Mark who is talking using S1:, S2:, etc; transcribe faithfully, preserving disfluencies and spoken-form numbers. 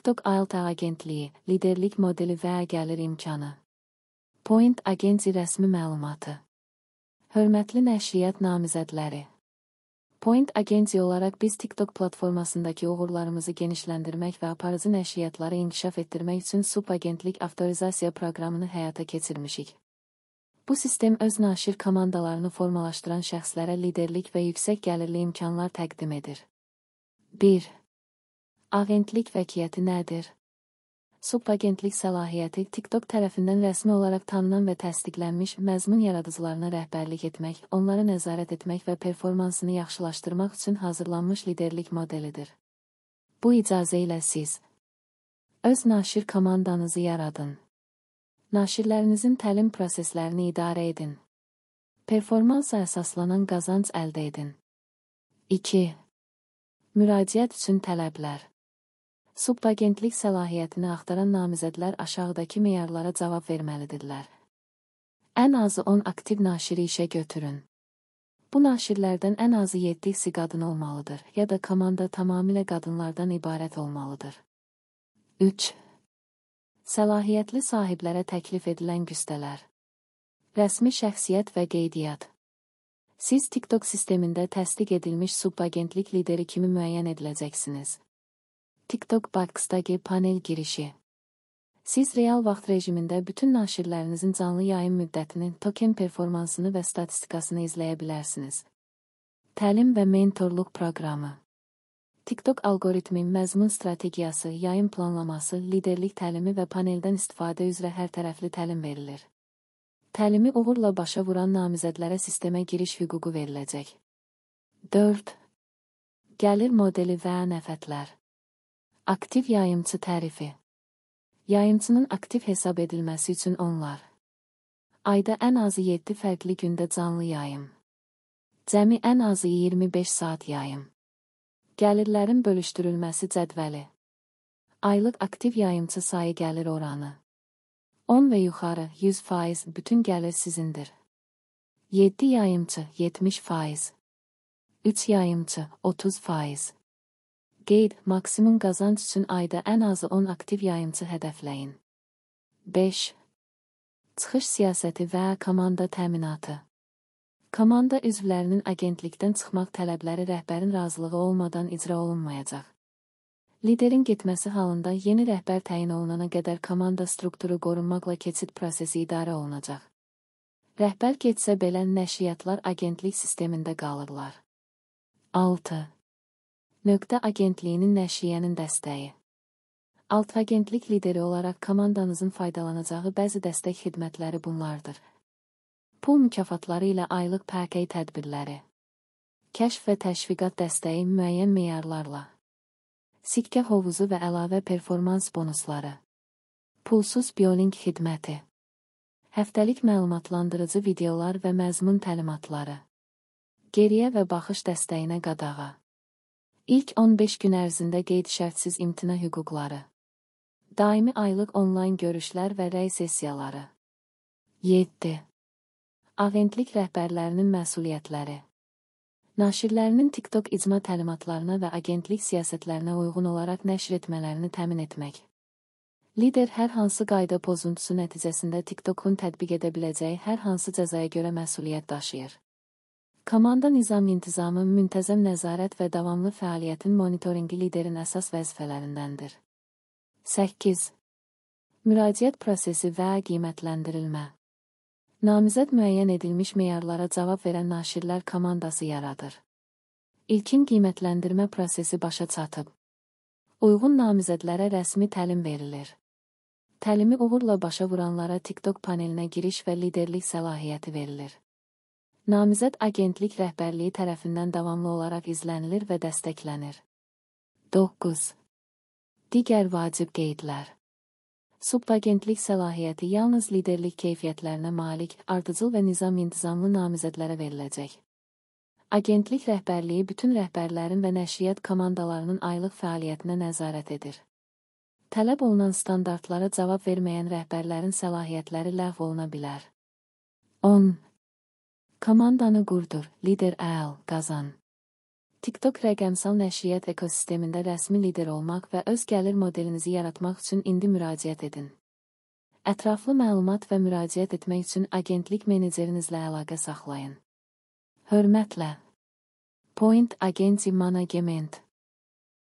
S1: TikTok Ayaltağ Agentliyi, liderlik modeli və gəlir imkanı. Point Agency rəsmi məlumatı. Hörmətli nəşriyyat namizədləri. Point Agency olaraq biz TikTok platformasındakı uğurlarımızı genişləndirmək və aparıcı nəşriyyatları inkişaf etdirmək üçün subagentlik avtorizasiya proqramını həyata keçirmişik. Bu sistem öz naşir komandalarını formalaşdıran şəxslərə liderlik və yüksək gəlirli imkanlar təqdim edir. bir. Agentlik vəkiyyəti nədir? Subagentlik səlahiyyəti TikTok tərəfindən rəsmi olaraq tanınan və təsdiqlənmiş məzmun yaradıcılarına rəhbərlik etmək, onları nəzarət etmək və performansını yaxşılaşdırmaq üçün hazırlanmış liderlik modelidir. Bu icazə ilə siz öz naşir komandanızı yaradın. Naşirlərinizin təlim proseslərini idarə edin. Performansa əsaslanan qazanc əldə edin. iki. Müraciət üçün tələblər. Subagentlik səlahiyyətini axtaran namizədlər aşağıdakı meyarlara cavab verməlidirlər. Ən azı on aktiv naşiri işə götürün. Bu naşirlərdən ən azı yeddisi qadın olmalıdır, ya da komanda tamamilə qadınlardan ibarət olmalıdır. üç. Səlahiyyətli sahiblərə təklif edilən güstələr. Rəsmi şəxsiyyət və qeydiyyat. Siz TikTok sistemində təsdiq edilmiş subagentlik lideri kimi müəyyən ediləcəksiniz. TikTok Box'daki panel girişi. Siz real vaxt rejimində bütün naşirlərinizin canlı yayım müddətini, token performansını və statistikasını izləyə bilərsiniz. Təlim və mentorluq proqramı. TikTok algoritmi, məzmun strategiyası, yayım planlaması, liderlik təlimi və paneldən istifadə üzrə hər tərəfli təlim verilir. Təlimi uğurla başa vuran namizədlərə sistemə giriş hüququ veriləcək. dörd. Gəlir modeli və nəfətlər. Aktiv yayımçı tərifi. Yayımçının aktiv hesab edilməsi üçün onlar. Ayda ən azı yeddi fərqli gündə canlı yayım. Cəmi ən azı iyirmi beş saat yayım. Gəlirlərin bölüşdürülməsi cədvəli. Aylıq aktiv yayımçı sayı gəlir oranı. on və yuxarı yüz faiz bütün gəlir sizindir. yeddi yayımçı yetmiş faiz. üç yayımçı otuz faiz. Qeyd, maksimum qazanc üçün ayda ən azı on aktiv yayımçı hədəfləyin. beş. Çıxış siyasəti və komanda təminatı. Komanda üzvlərinin agentlikdən çıxmaq tələbləri rəhbərin razılığı olmadan icra olunmayacaq. Liderin getməsi halında yeni rəhbər təyin olunana qədər komanda strukturu qorunmaqla keçid prosesi idarə olunacaq. Rəhbər getsə belə nəşriyyatlar agentlik sistemində qalırlar. altı. Nöqtə agentliyinin nəşriyyənin dəstəyi. Alt agentlik lideri olaraq komandanızın faydalanacağı bəzi dəstək xidmətləri bunlardır. Pul mükafatları ilə aylıq pəkey tədbirləri. Kəşf və təşviqat dəstəyi müəyyən meyarlarla. Sikkə hovuzu və əlavə performans bonusları. Pulsuz biyolink xidməti. Həftəlik məlumatlandırıcı videolar və məzmun təlimatları. Geriyə və baxış dəstəyinə qadağa. İlk on beş gün ərzində qeyd-şərtsiz imtina hüquqları. Daimi aylıq onlayn görüşlər və rəy sessiyaları. yeddi. Agentlik rəhbərlərinin məsuliyyətləri. Naşirlərinin TikTok icma təlimatlarına və agentlik siyasətlərinə uyğun olaraq nəşr etmələrini təmin etmək. Lider hər hansı qayda pozuntusu nəticəsində TikTokun tətbiq edə biləcəyi hər hansı cəzaya görə məsuliyyət daşıyır. Komanda nizam-intizamı, müntəzəm nəzarət və davamlı fəaliyyətin monitoringi liderin əsas vəzifələrindəndir. səkkiz. Müraciət prosesi və qiymətləndirilmə. Namizəd müəyyən edilmiş meyarlara cavab verən naşirlər komandası yaradır. İlkin qiymətləndirmə prosesi başa çatıb. Uyğun namizədlərə rəsmi təlim verilir. Təlimi uğurla başa vuranlara TikTok panelinə giriş və liderlik səlahiyyəti verilir. Namizəd agentlik rəhbərliyi tərəfindən davamlı olaraq izlənilir və dəstəklənir. doqquz. Digər vacib qeydlər. Subagentlik səlahiyyəti yalnız liderlik keyfiyyətlərinə malik, ardıcıl və nizam-intizamlı namizədlərə veriləcək. Agentlik rəhbərliyi bütün rəhbərlərin və nəşriyyat komandalarının aylıq fəaliyyətinə nəzarət edir. Tələb olunan standartlara cavab verməyən rəhbərlərin səlahiyyətləri ləğv oluna bilər. on. Komandanı qurdur, lider əl, qazan. TikTok rəqəmsal nəşriyyat ekosistemində rəsmi lider olmaq və öz gəlir modelinizi yaratmaq üçün indi müraciət edin. Ətraflı məlumat və müraciət etmək üçün agentlik menecerinizlə əlaqə saxlayın. Hörmətlə. Point Agency Management